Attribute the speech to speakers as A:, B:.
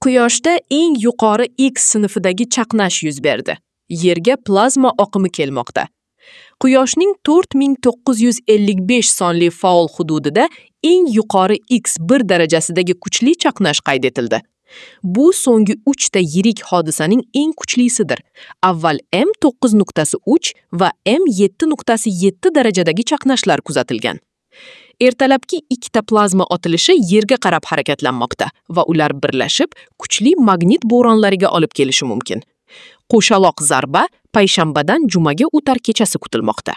A: Quyoshda eng yuqori X sinfidagi chaqnash yuz berdi. Yerga plazma oqimi kelmoqda. Quyoshning 4955 sonli faol hududida eng yuqori X1 darajasidagi kuchli chaqnash qayd etildi. Bu so'nggi 3 ta yirik hodisaning eng kuchlisidir. Avval M9.3 va M7.7 darajadagi chaqnashlar kuzatilgan. Ertalabki ikkita plazma otilishi Yerga qarab harakatlanmoqda va ular birlashib, kuchli magnit bo'ronlariga olib kelishi mumkin. Qo'shaloq zarba payshanbadan jumaga o'tar kechasi kutilmoqda.